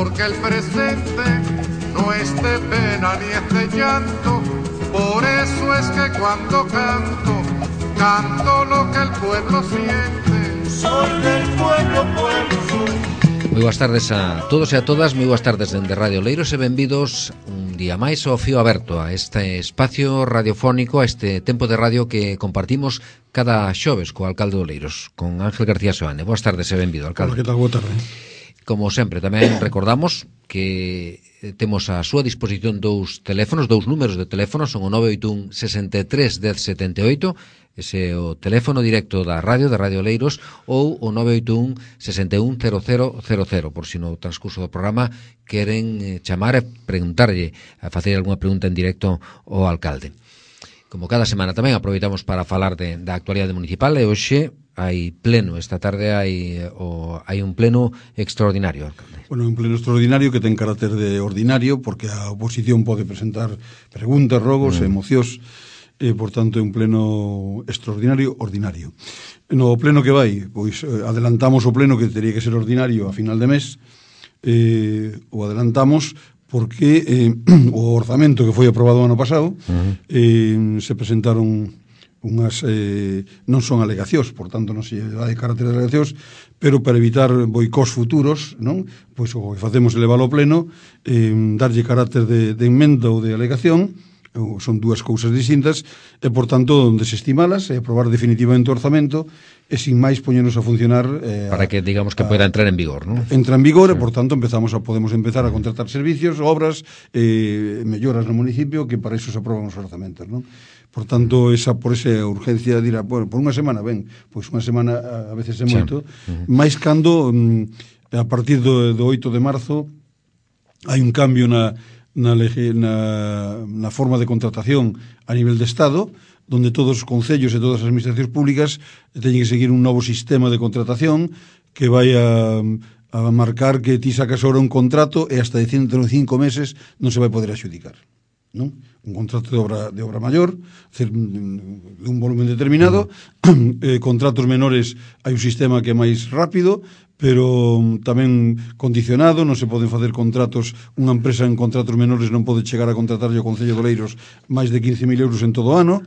porque el presente no es de pena ni es de llanto. Por eso es que cuando canto, canto lo que el pueblo siente. Soy del pueblo, pueblo soy. Moi boas tardes a todos e a todas, moi boas tardes dende Radio Oleiros e benvidos un día máis ao Fío Aberto, a este espacio radiofónico, a este tempo de radio que compartimos cada xoves co alcalde de Oleiros, con Ángel García Soane. Boas tardes e benvido, alcalde. Hola, que tal? Boa tarde. Como sempre, tamén recordamos que temos a súa disposición dous teléfonos, dous números de teléfono, son o 981 63 10 78, ese é o teléfono directo da Radio Oleiros, ou o 981 61 0000, por si no transcurso do programa queren chamar e preguntarlle, a facer algunha pregunta en directo ao alcalde. Como cada semana tamén aproveitamos para falar da actualidade municipal e hoxe hai pleno, esta tarde hai un pleno extraordinario, alcalde. Bueno, un pleno extraordinario que ten carácter de ordinario porque a oposición pode presentar preguntas, rogos e mocións, por tanto é un pleno extraordinario ordinario. No pleno que vai, pois adelantamos o pleno que teria que ser ordinario a final de mes, o adelantamos porque o orzamento que foi aprobado o ano pasado se presentaron unhas non son alegacións, por tanto non se dá de carácter de alegacións, pero para evitar boicós futuros, non? Pois o que facemos é leválo ao pleno, darlle carácter de enmenda ou de alegación, son dúas cousas distintas, e por tanto desestimalas e aprobar definitivamente o orzamento e sin máis poñernos a funcionar para que digamos que poida entrar en vigor, ¿no? Entra en vigor e por tanto podemos empezar a contratar servicios, obras, melloras no municipio, que para iso se aproban os orzamentos, non? Por tanto, por esa urgencia dirá, bueno, por unha semana, ben, pois unha semana a veces é moito, máis cando a partir do 8 de marzo hai un cambio na forma de contratación a nivel de Estado, donde todos os concellos e todas as administracións públicas teñen que seguir un novo sistema de contratación que vai a marcar que ti sacas ahora un contrato e hasta de 105 meses non se vai poder adxudicar, non? Un contrato de obra maior, de un volumen determinado, contratos menores hai un sistema que é máis rápido, pero tamén condicionado, non se poden facer contratos, unha empresa en contratos menores non pode chegar a contratarlle ao Concello de Oleiros máis de 15.000 euros en todo o ano.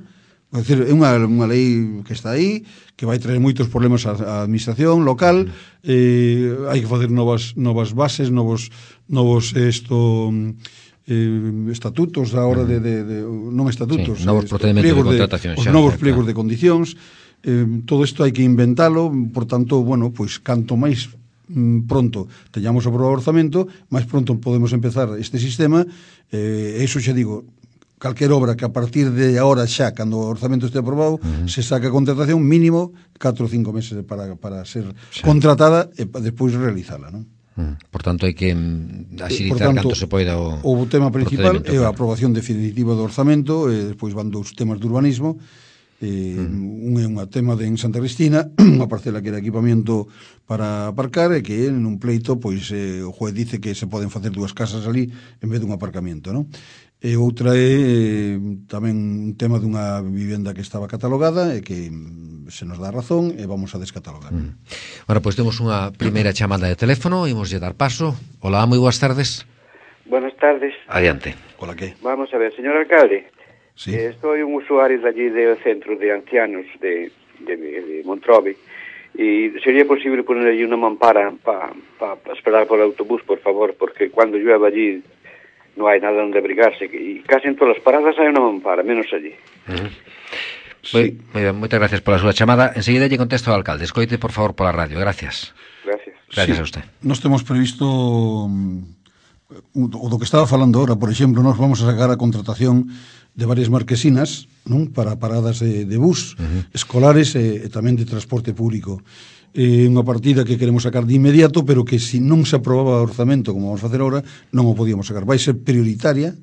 É dicir, é unha lei que está aí, que vai traer moitos problemas á administración local, hai que facer novas bases, novos estatutos a hora non estatutos, novos procedimentos de contratación, os novos pliegos de condicións. Todo isto hai que inventalo, por tanto, bueno, pois canto máis pronto teñamos aprobado o orzamento, máis pronto podemos empezar este sistema, e iso xa digo, calquer obra que a partir de agora xa, cando o orzamento este aprobado, se saca a contratación mínimo 4 ou 5 meses para ser contratada e despois realizala, non? Por tanto, hai que axilitar canto se poida o tema principal é a aprobación definitiva do orzamento, e despois van dous temas de urbanismo. Un é un tema en Santa Cristina, unha parcela que era equipamento para aparcar, e que en un pleito pois o juez dice que se poden facer dúas casas ali en vez dun aparcamento, non? E outra é tamén un tema dunha vivenda que estaba catalogada e que se nos dá razón e vamos a descatalogar. Bueno, pois temos unha primeira chamada de teléfono, imoslle dar paso. Hola, moi boas tardes. Buenas tardes. Adiante. Hola, que? Vamos a ver, señor alcalde. Sí. Soy un usuario de allí del centro de ancianos de Montrobe, y sería posible poner allí una mampara para esperar por el autobús, por favor, porque cuando llueve allí no hay nada donde abrigarse, y casi en todas las paradas hay una mampara, menos allí. Sí. Moitas gracias pola súa chamada. Enseguida lle contesto ao alcalde. Escoite, por favor, pola radio. Gracias. Gracias a usted. Nós temos previsto o do que estaba falando ahora, por exemplo, nós vamos a sacar a contratación de varias marquesinas, non? Para paradas de bus escolares e tamén de transporte público. É unha partida que queremos sacar de inmediato, pero que se non se aprobaba o orzamento como vamos a facer agora, non o podíamos sacar. Vai ser prioritaria,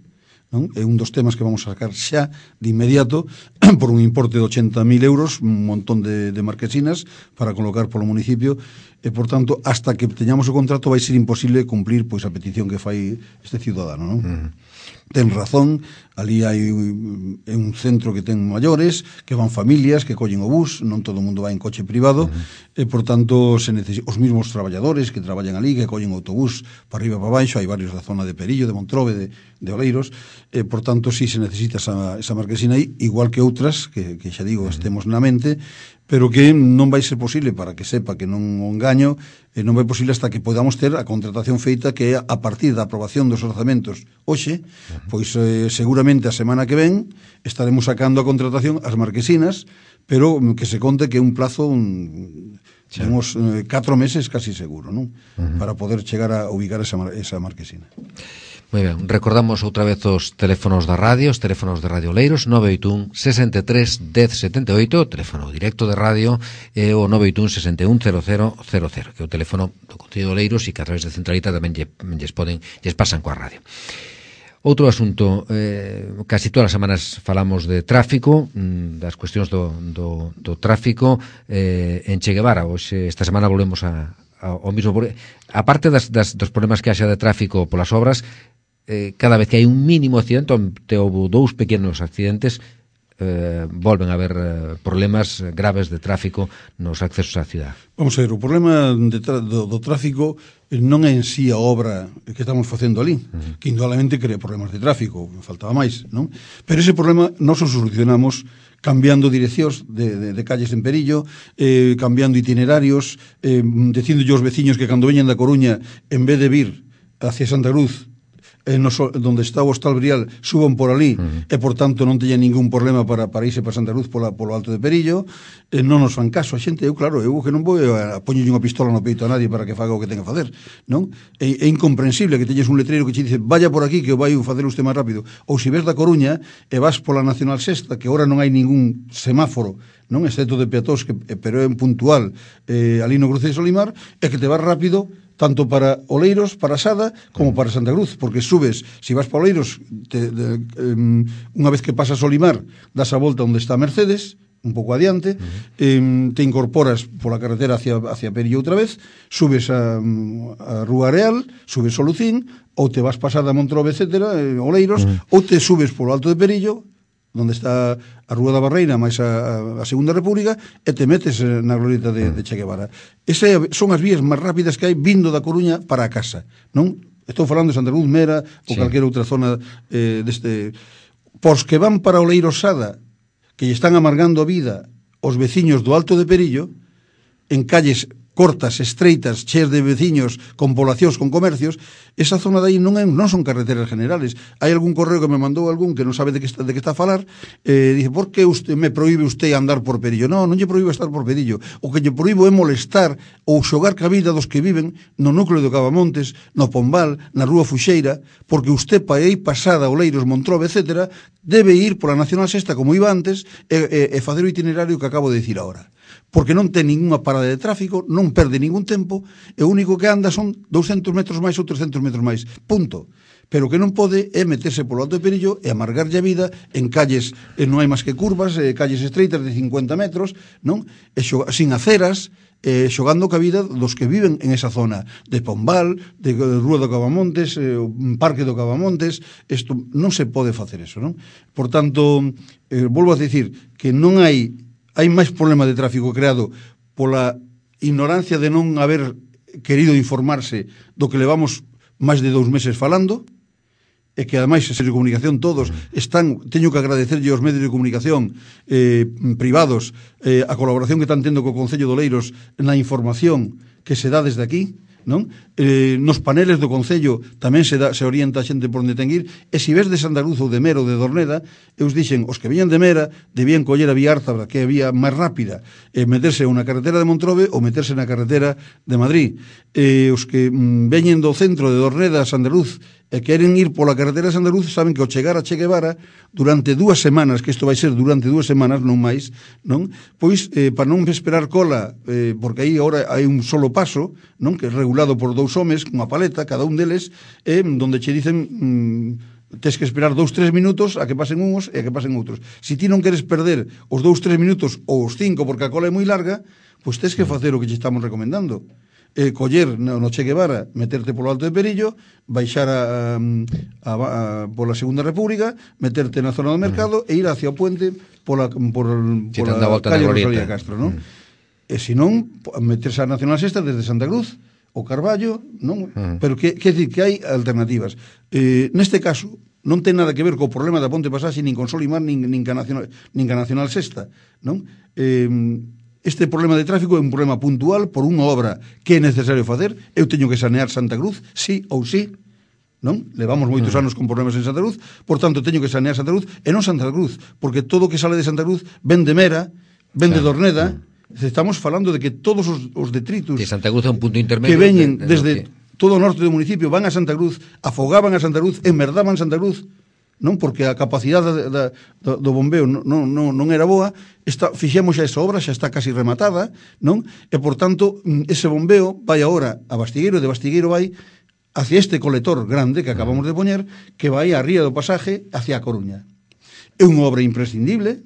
non? É un dos temas que vamos a sacar xa de inmediato por un importe de 80.000 euros, un montón de marquesinas para colocar polo municipio, e, por tanto, hasta que teñamos o contrato vai ser imposible cumplir pois a petición que fai este ciudadano, non? Ten razón, ali hai un centro que ten maiores, que van familias, que collen o bus, non todo o mundo vai en coche privado, e, por tanto, os mesmos traballadores que traballan ali, que collen o autobús para arriba e para baixo, hai varios da zona de Perillo, de Montrobe, de Oleiros, e, por tanto, sí se necesita esa marquesina aí, igual que outras, que xa digo, estemos na mente, pero que non vai ser posible, para que sepa que non o engaño, non vai posible hasta que podamos ter a contratación feita, que é a partir da aprobación dos orzamentos hoxe, pois seguramente a semana que ven estaremos sacando a contratación as marquesinas, pero que se conte que é un plazo uns 4 meses casi seguro, non? Para poder chegar a ubicar esa marquesina. Moi ben, recordamos outra vez os teléfonos da radio, os teléfonos de Radio Oleiros, 981 63 10 78, teléfono directo de radio, e o 981 61 0000, que é o teléfono do Concello de Oleiros, e que a través de Centralita tamén lles pasan coa radio. Outro asunto, casi todas as semanas falamos de tráfico, das cuestións do tráfico en Che Guevara. Hoxe, esta semana volvemos ao mismo. A parte dos problemas que haxa de tráfico polas obras, cada vez que hai un mínimo accidente, onde houve 2 pequenos accidentes, volven a haber problemas graves de tráfico nos accesos á cidade. Vamos a ver, o problema do tráfico non é en sí a obra que estamos facendo ali, que indudablemente crea problemas de tráfico, faltaba máis, non? Pero ese problema nós o solucionamos cambiando direccións de calles en Perillo, cambiando itinerarios, dicindo aos veciños que cando veñen da Coruña, en vez de vir hacia Santa Cruz, donde está o Hostal Brial, suban por ali, e por tanto non teña ningún problema para irse para Santa Cruz polo Alto de Perillo. Non nos fan caso a xente. Eu que non vou a poñerlle unha pistola no peito a nadie para que faga o que ten que facer, non? É incomprensible que teñes un letreiro que che dice vaya por aquí que vai facer usted máis rápido, ou se ves da Coruña e vas pola Nacional Sexta, que agora non hai ningún semáforo, non, excepto de peatóns, pero é puntual ali no cruce de Solimar, é que te vas rápido tanto para Oleiros, para Sada, como para Santa Cruz, porque subes, si vas para Oleiros, unha vez que pasas Solimar, das a volta onde está Mercedes, un pouco adiante, te incorporas pola carretera hacia Perillo outra vez, subes a Rúa Areal, subes o Lucín, ou te vas pasada a Montrobe, etcétera, Oleiros, ou te subes polo Alto de Perillo, onde está a Rúa da Barreira máis a Segunda República, e te metes na glorieta de Che Guevara. Esas son as vías máis rápidas que hai vindo da Coruña para a casa, non? Estou falando de Santa Cruz, Mera ou calquera outra zona deste. Pos que van para Oleiros Sada, que lle están amargando a vida os veciños do Alto de Perillo, en calles cortas, estreitas, cheas de veciños, con poblacións, con comercios, esa zona de aí non son carreteras generales. Hai algún correo que me mandou algún que non sabe de que está a falar, dice, por que me proíbe usted andar por Perillo? Non lle proíbo estar por Perillo. O que lle proíbo é molestar ou xogar ca vida dos que viven no núcleo de Cavamontes, no Pombal, na Rúa Fuxeira, porque usted para ir pasada Oleiros, Montrobe, etcétera, debe ir pola Nacional Sexta como iba antes e facer o itinerario que acabo de dicir agora. Porque non ten ninguna parada de tráfico, non perde ningún tempo, e o único que anda son 200 metros máis ou 300 metros máis, punto. Pero o que non pode é meterse polo Alto de Perillo e amargarlle a vida en calles, non hai máis que curvas, calles estreitas de 50 metros, non? E sin aceras, xogando ca vida dos que viven en esa zona de Pombal, de Rúa do Cavamontes, Parque do Cavamontes. Isto non se pode facer eso, non? Por tanto, volvo a dicir que non hai máis problema de tráfico creado pola ignorancia de non haber querido informarse do que levamos máis de 2 meses falando, e que ademais os medios de comunicación todos teño que agradecerlle aos medios de comunicación privados a colaboración que están tendo co Concello de Oleiros na información que se dá desde aquí, non? Nos paneles do Concello tamén se orienta a xente por onde ten que ir, e se ves de Santa Cruz ou de Mera ou de Dorneda, eu dixen, os que viñan de Mera debían coller a vía Árzabra, que é a vía máis rápida, meterse unha carretera de Montrobe ou meterse na carretera de Madrid. Os que veñen do centro de Dorneda a Santa Cruz e queren ir pola carretera de Santa Cruz, saben que ao chegar a Che Guevara, durante 2 semanas, que isto vai ser durante 2 semanas, non máis, non? Pois, para non esperar cola, porque aí agora hai un solo paso, non? Que é regulado por 2 homes, cunha paleta, cada un deles, donde che dicen tes que esperar 2-3 minutos a que pasen uns e a que pasen outros. Se ti non queres perder os 2-3 minutos ou os 5 porque a cola é moi larga, pois tes que facer o que che estamos recomendando. coller no Che Guevara, meterte polo Alto de Perillo, baixar pola Segunda República, meterte na zona do mercado e ir hacia o puente pola calle Rosalía Castro, non? E se non, meterse a Nacional Sexta desde Santa Cruz o Carballo, non? Pero que dicir que hai alternativas. Neste caso, non ten nada que ver co problema da Ponte Pasaxe, nin con Solimar, nin ca Nacional Sexta, non? Este problema de tráfico é un problema puntual por unha obra que é necesario facer. Eu teño que sanear Santa Cruz, sí ou sí, non? Levamos moitos anos con problemas en Santa Cruz, por tanto teño que sanear Santa Cruz, e non Santa Cruz, porque todo o que sale de Santa Cruz ven de Mera, ven de Dorneda. Estamos falando de que todos os detritus que Santa Cruz é un punto intermedio que veñen desde todo o norte do municipio van a Santa Cruz, afogaban a Santa Cruz, enmerdaban Santa Cruz, non? Porque a capacidade do bombeo non era boa. Fixemos xa esa obra, xa está casi rematada, non? E, por tanto, ese bombeo vai agora a Bastigueiro, e de Bastigueiro vai hacia este colector grande que acabamos de poñer, que vai a Ría do Pasaje hacia a Coruña. É unha obra imprescindible,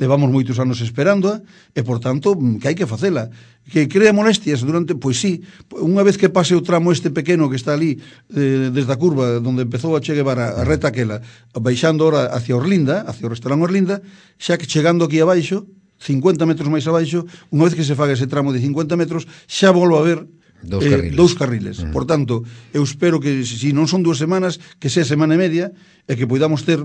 levamos moitos anos esperándoa, e, por tanto, que hai que facela. Que crea molestias durante... Pois sí, unha vez que pase o tramo este pequeno que está ali, desde a curva onde empezou a Che Guevara, a reta aquela, baixando ahora hacia Orlinda, hacia o restaurante Orlinda, xa que chegando aquí abaixo, 50 metros máis abaixo, unha vez que se faga ese tramo de 50 metros, xa volvo a ver dous carriles. Por tanto, eu espero que, se non son 2 semanas, que sea semana e media, e que poidamos ter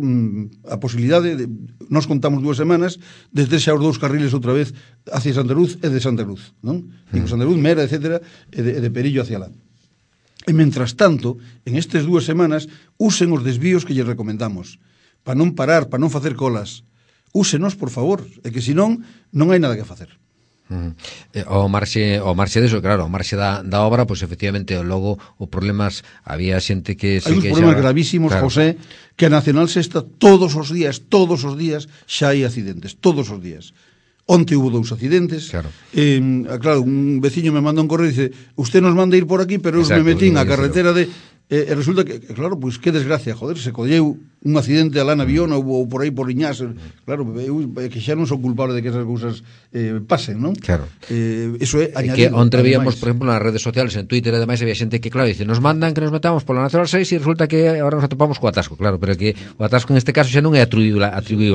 a posibilidade, nos contamos 2 semanas, de ter xa os 2 carriles outra vez hacia Santa Cruz e de Santa Cruz, non? Digo, Santa Cruz, Mera, etcétera, e de Perillo hacia lá. E, mentras tanto, en estes 2 semanas, usen os desvíos que lle recomendamos, para non parar, para non facer colas. Úsenos, por favor, e que senón non hai nada que facer. O marxe deso, claro, o marxe da obra, pois efectivamente logo o problemas, había xente que hai uns problemas gravísimos, claro. José, que a Nacional Sexta todos os días xa hai accidentes, todos os días. Onte hubo 2 accidentes, claro. Claro, un veciño me manda un correo e dice, usted nos manda ir por aquí, pero eu me metín a carretera de... E resulta que, claro, pois que desgracia, joder, se colleu un accidente alá na Viona ou por aí por Liñás, claro, que xa non son culpable de que esas cousas pasen, non? Claro. Eso é añadir. Que onde veíamos, por exemplo, nas redes sociales, en Twitter e demais, había xente que, claro, dice, nos mandan que nos metamos pola Nacional 6 e resulta que agora nos atopamos co atasco, claro, pero que o atasco en este caso xa non é atribuído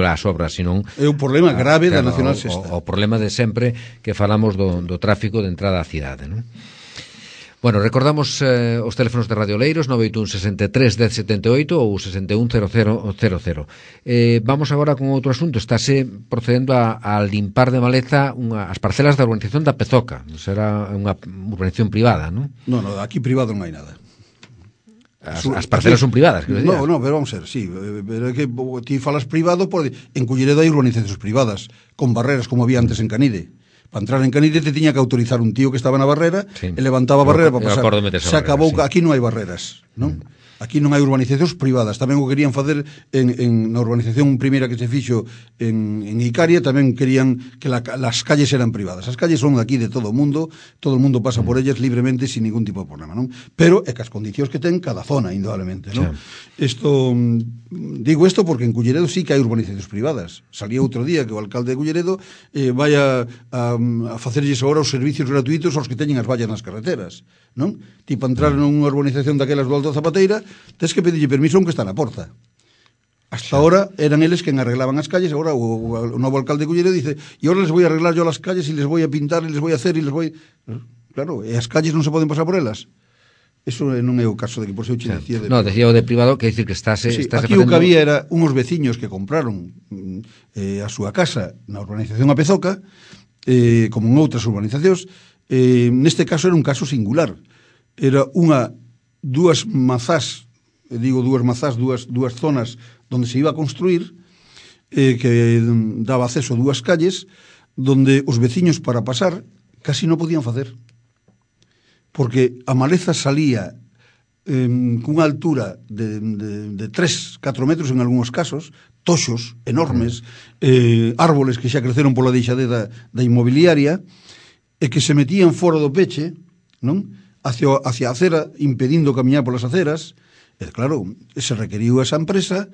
ás obras, senón é un problema grave, claro, da Nacional 6. O problema de sempre que falamos do tráfico de entrada á cidade, non? Bueno, recordamos os teléfonos de Radio Oleiros 981 63 1078 ou 61 0000. Vamos agora con outro asunto. Estáse procedendo a limpar de maleza as parcelas da urbanización da Pezoca. Será unha urbanización privada, non? Non, aquí privado non hai nada. As parcelas son privadas, quero dicir. No, pero vamos a ver, sí, pero é que ti falas privado porque en Culleredo hai urbanizacións privadas con barreras como había antes en Canide. Para entrar en Canide te tiña que autorizar un tío que estaba na barrera, sí, e levantaba a barrera para pasar. Se acabou, sí. Aquí non hai barreras, non? Aquí non hai urbanizacións privadas. Tamén o querían facer na urbanización primeira que se fixo en Icaria, tamén querían que las calles eran privadas. As calles son aquí de todo o mundo pasa por ellas libremente sin ningún tipo de problema, non? Pero é que as condicións que ten cada zona, indudablemente, non? Sí. Digo isto porque en Culleredo sí que hai urbanizacións privadas. Salía outro día que o alcalde de Culleredo vai a facerlles agora os servicios gratuitos aos que teñen as vallas nas carreteras, non? Tipo, entrar nunha urbanización daquelas do Alto Zapateira, tens que pedirlle permiso a un que está na porta. Hasta ahora eran eles quen arreglaban as calles, agora o novo alcalde de Culleredo dice, e ahora les voy a arreglar yo las calles e les voy a pintar e les voy a hacer e les voy... Claro, e as calles non se poden pasar por elas. Eso non é o caso de que por seu che decía... No, decía o de privado, que dicir que estáse aquí o que había era unhos veciños que compraron a súa casa na urbanización A Pezoca, como en outras urbanizacións. Neste caso era un caso singular. Era dúas mazás, dúas zonas donde se iba a construir, que daba acceso a 2 calles, donde os veciños para pasar casi non podían facer. Porque a maleza salía cunha altura de 3-4 metros en algúns casos, toxos enormes, árboles que xa creceron pola deixadeza da inmobiliaria, e que se metían fora do peche, non? Hacia a acera, impedindo camiñar polas aceras. E claro, se requeriu esa empresa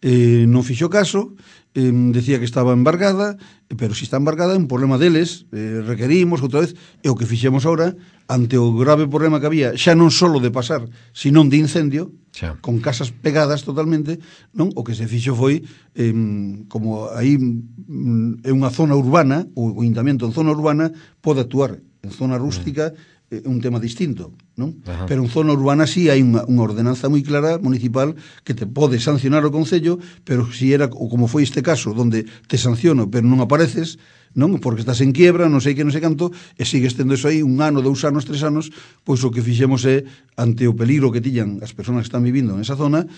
non fixo caso, decía que estaba embargada, pero se está embargada é un problema deles, requerimos outra vez, e o que fixemos ahora, ante o grave problema que había, xa non solo de pasar, senón de incendio, xa, con casas pegadas totalmente, non? O que se fixo foi, como aí é unha zona urbana, o Ayuntamiento en zona urbana pode actuar en zona rústica, un tema distinto, non? Ajá. Pero en zona urbana sí hai unha ordenanza moi clara municipal que te pode sancionar o Concello, pero si era, ou como foi este caso, donde te sanciono pero non apareces, non? Porque estás en quiebra, non sei que, non sei canto, e sigues tendo eso aí 1 ano, 2 anos, 3 anos, pois o que fixemos é, ante o peligro que tiñan as persoas que están vivindo nesa zona,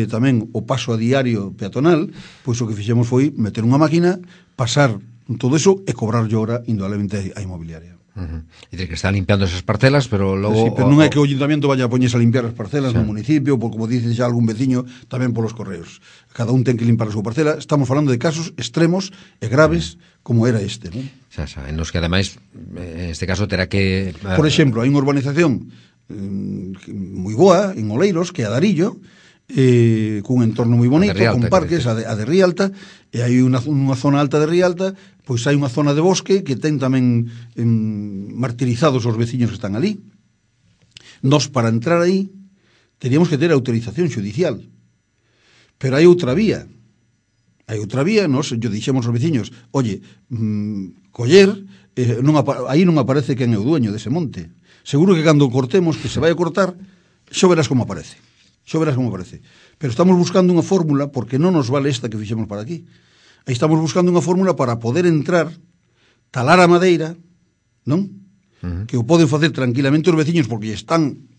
tamén o paso a diario peatonal, pois o que fixemos foi meter unha máquina, pasar todo eso e cobrar llora indudablemente a inmobiliaria. E que está limpiando esas parcelas, pero logo... Sí, pero non é que o Ayuntamiento vaya a poñerse a limpiar as parcelas no municipio, por como dice xa algún veciño, tamén polos correos. Cada un ten que limpar a súa parcela. Estamos falando de casos extremos e graves como era este, non? En los que ademais, en este caso, terá que... Por exemplo, hai unha urbanización moi boa, en Oleiros, que é a Darillo, cun entorno moi bonito, con parques, a de Rialta, e hai unha zona alta de Rialta, pois hai unha zona de bosque que ten tamén martirizados os veciños que están ali. Nos, para entrar aí, teríamos que ter autorización judicial. Pero hai outra vía. Nos, yo dixemos aos veciños, oye, coller, aí non aparece quen é o dueño dese monte. Seguro que cando cortemos, que se vai a cortar, xo verás como aparece. Pero estamos buscando unha fórmula, porque non nos vale esta que fixemos para aquí. Aí estamos buscando unha fórmula para poder entrar, talar a madeira, non? Que o poden facer tranquilamente os veciños, porque están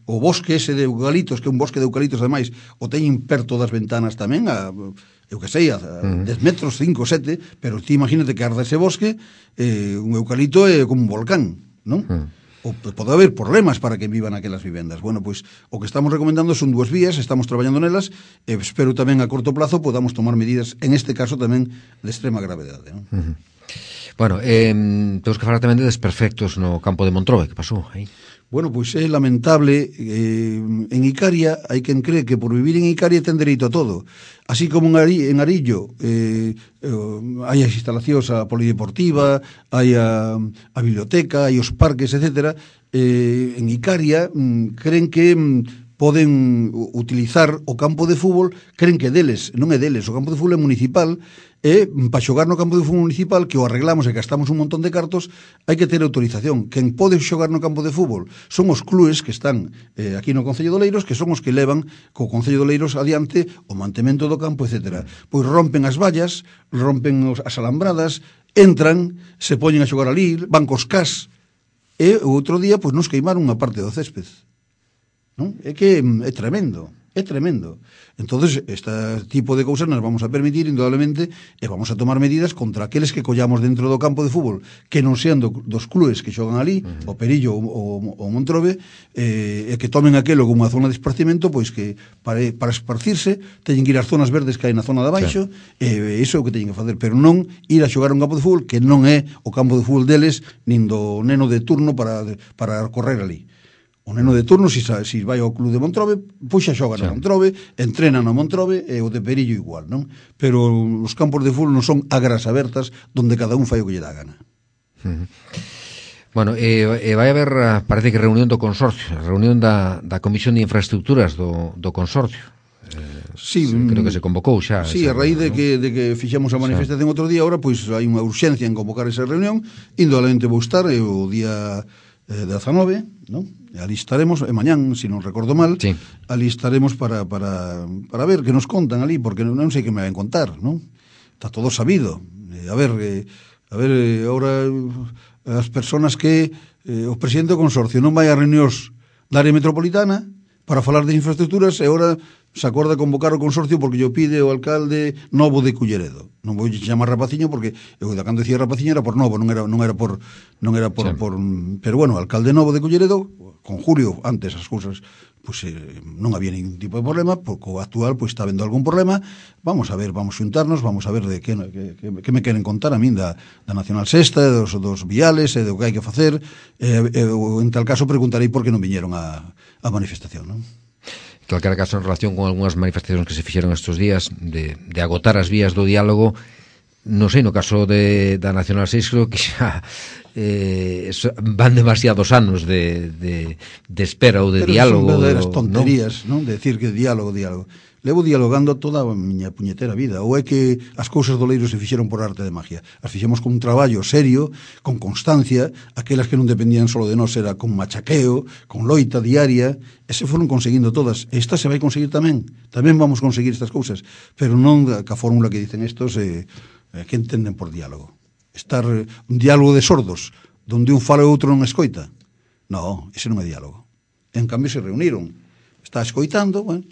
o bosque ese de eucaliptos, que é un bosque de eucaliptos ademais, o teñen perto das ventanas tamén, eu que sei, a 10 metros, 5, 7, pero ti imagínate que arda ese bosque, un eucalipto é como un volcán, non? O pode haber problemas para que vivan aquelas vivendas. Bueno, pois o que estamos recomendando son 2 vías, estamos traballando nelas, e espero tamén a corto plazo podamos tomar medidas, en este caso tamén de extrema gravedade, non? Bueno, temos que falar tamén de desperfectos no campo de Montrobe, que pasou aí? Bueno, pois é lamentable, en Icaria hai quen cree que por vivir en Icaria ten dereito a todo. Así como en Arillo hai as instalacións a polideportiva, hai a biblioteca, hai os parques, etc. En Icaria creen que poden utilizar o campo de fútbol, creen que deles, non é deles, o campo de fútbol é municipal, e para xogar no campo de fútbol municipal, que o arreglamos e gastamos un montón de cartos, hai que ter autorización. Quen pode xogar no campo de fútbol son os clubes que están aquí no Concello de Oleiros, que son os que levan co Concello de Oleiros adiante o mantemento do campo, etc. Pois rompen as vallas, rompen as alambradas, entran, se poñen a xogar ali, van cos cas, e o outro día pois nos queimaron unha parte do césped. Non? É que é tremendo. Entonces, este tipo de cousas nos vamos a permitir indudablemente e vamos a tomar medidas contra aqueles que collamos dentro do campo de fútbol que non sean dos clubes que xogan ali, o Perillo ou Montrobe, e que tomen aquelo como unha zona de esparcimento, pois que para esparcirse teñen que ir ás zonas verdes que hai na zona de abaixo, e iso é o que teñen que facer, pero non ir a xogar un campo de fútbol que non é o campo de fútbol deles nin do neno de turno para correr ali. O neno de turno, se vai ao club de Montrobe, pois xa xoga no Montrobe, entrena no Montrobe, e o de Perillo igual, non? Pero os campos de fútbol non son agras abertas donde cada un fai o que lle dá gana. Bueno, vai haber, parece que reunión do consorcio, reunión da Comisión de Infraestructuras do consorcio. Sí, creo que se convocou xa. Sí, a raíz de que fixamos a manifestación outro día, ahora pois hai unha urxencia en convocar esa reunión, indudablemente vou estar o día 19, non? Ali estaremos, e mañán, se non recordo mal, ali estaremos para ver que nos contan ali, porque non sei que me van contar, non? Está todo sabido. A ver, ahora as persoas que o presidente do consorcio non vai a reunións da área metropolitana para falar de infraestructuras, e agora se acorda convocar o consorcio porque yo pide o alcalde novo de Culleredo. Non vou chamar Rapaciño porque eu da cando decía Rapaciño era por novo, non era por pero bueno, o alcalde novo de Culleredo, con Julio antes as cousas pois non había ningún tipo de problema, porque o actual pois está vendo algún problema. Vamos a ver, vamos xuntarnos, vamos a ver de que me queren contar a min da Nacional Sexta, dos viales e do que hai que facer, en tal caso preguntarei por que non viñeron a manifestación, non? calquera caso, en relación con algunhas manifestacións que se fixeron estes días de agotar as vías do diálogo, non sei, no caso da Nacional 6 creo que xa van demasiados anos de espera ou de diálogo. Pero son verdaderas tonterías, non? De decir que diálogo. Levo dialogando toda a miña puñetera vida. Ou é que as cousas do Leiro se fixeron por arte de magia? As fixemos con un traballo serio, con constancia, aquelas que non dependían só de nós era con machaqueo, con loita diaria, e se foron conseguindo todas. Esta se vai conseguir tamén. Tamén vamos conseguir estas cousas, pero non ca fórmula que dicen estos que entenden por diálogo. Estar un diálogo de sordos, donde un fala e outro non escoita. Non, ese non é diálogo. En cambio se reuniron. Está escoitando, bueno,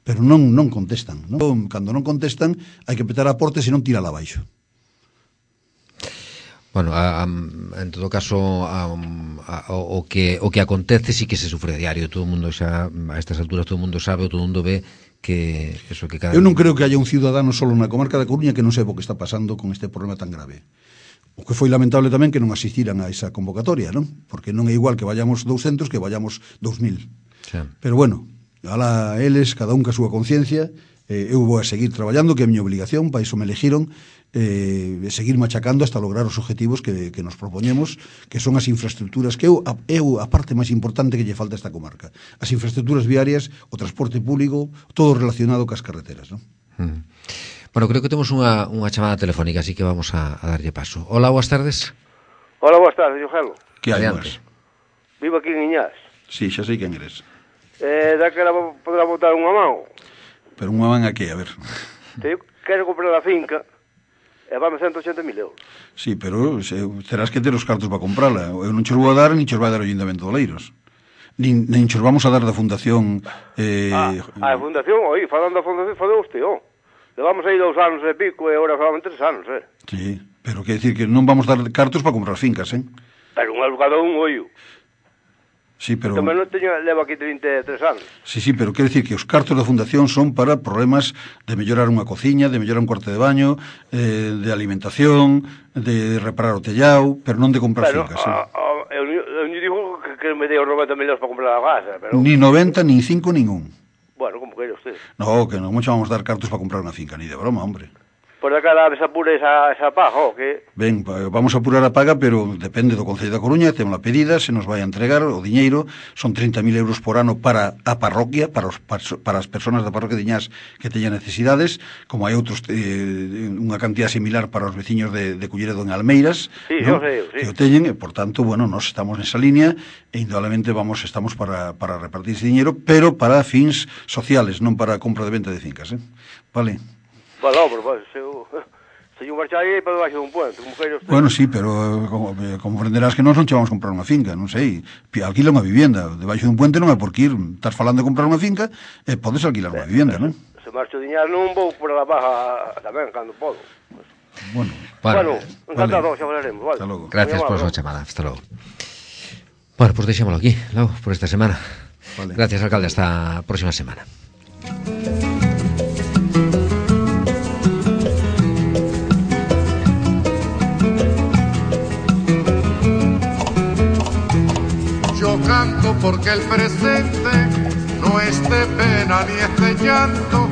pero non contestan, non? Cando non contestan hai que petar a porta e senón tirala abaixo. Bueno, en todo caso o que acontece sí que se sufre a diario. Todo o mundo xa, a estas alturas todo o mundo sabe, todo o mundo ve que eso que cada... Eu non creo que haya un ciudadano solo na comarca da Coruña que non saiba o que está pasando con este problema tan grave. O que foi lamentable tamén que non asistiran a esa convocatoria, non? Porque non é igual que vayamos 200 que vayamos 2000. Sí. Pero bueno, alá eles, cada un ca súa conciencia, eu vou a seguir traballando, que é a miña obligación, para iso me elegiron, seguir machacando hasta lograr os objetivos que nos propoñemos, que son as infraestructuras, que é a parte máis importante que lle falta a esta comarca. As infraestructuras viarias, o transporte público, todo relacionado cas carreteras, non? Bueno, creo que temos unha chamada telefónica, así que vamos a darlle paso. Hola, boas tardes. Hola, boas tardes, Eugelo. Que hai, boas? Vivo aquí en Iñás. Sí, xa sei quen eres. Daquela podrá botar unha mão. Pero unha man a que, a ver. Eu quero comprar a finca e vame 180.000 euros. Sí, pero terás que ter os cartos para comprala. Eu non xos vou a dar, nin xos vai dar o Ayuntamiento de Oleiros. Nin xos vamos a dar da Fundación... A Fundación, falando da Fundación, falou usted, levamos aí 2 anos e pico e agora falamos 3 anos, Sí, pero quer decir que non vamos dar cartos para comprar fincas, Pero un alugado un ollo. Sí, pero... Tamén non teño, levo aquí 33 anos. Sí, pero quer decir que os cartos da Fundación son para problemas de mellorar unha cociña, de mellorar un cuarto de baño, de alimentación, de reparar o tellao, pero non de comprar fincas. Eu digo que me dei os 90 millóns para comprar a casa, pero... Ni 90, ni 5, ningún. Bueno, como queira usted. No, que non vamos dar cartos para comprar unha finca, ni de broma, hombre. Por acá se apura esa paga, que... Ben, vamos a apurar a paga, pero depende do Concello da Coruña, temos a pedida, se nos vai a entregar o diñeiro, son 30.000 euros por ano para a parroquia, para as persoas da parroquia de Iñás que teñan necesidades, como hai outros, unha cantidad similar para os veciños de Culleredo en Almeiras, sí, ¿no? Sí. Que o teñen, e por tanto, bueno, nos estamos nesa línea, e indudablemente estamos para repartir ese diñeiro, pero para fins sociales, non para compra de venta de fincas, Vale. Bueno, pero se eu marchar aí para debaixo dun puente, como queira usted. Bueno, sí, pero como comprenderás que nós non che vamos comprar unha finca, non sei, alquila unha vivienda, debaixo dun puente non é por que ir, estás falando de comprar unha finca e podes alquilar unha vivienda, non? Se marcho diñar non vou por a baja tamén, cando podo. Bueno, encantado, xa falaremos, vale. Hasta logo. Gracias por a súa chamada, hasta logo. Bueno, pues deixémolo aquí, logo, por esta semana. Vale. Gracias, alcalde, hasta a próxima semana. Canto porque el presente no es de pena ni es de llanto,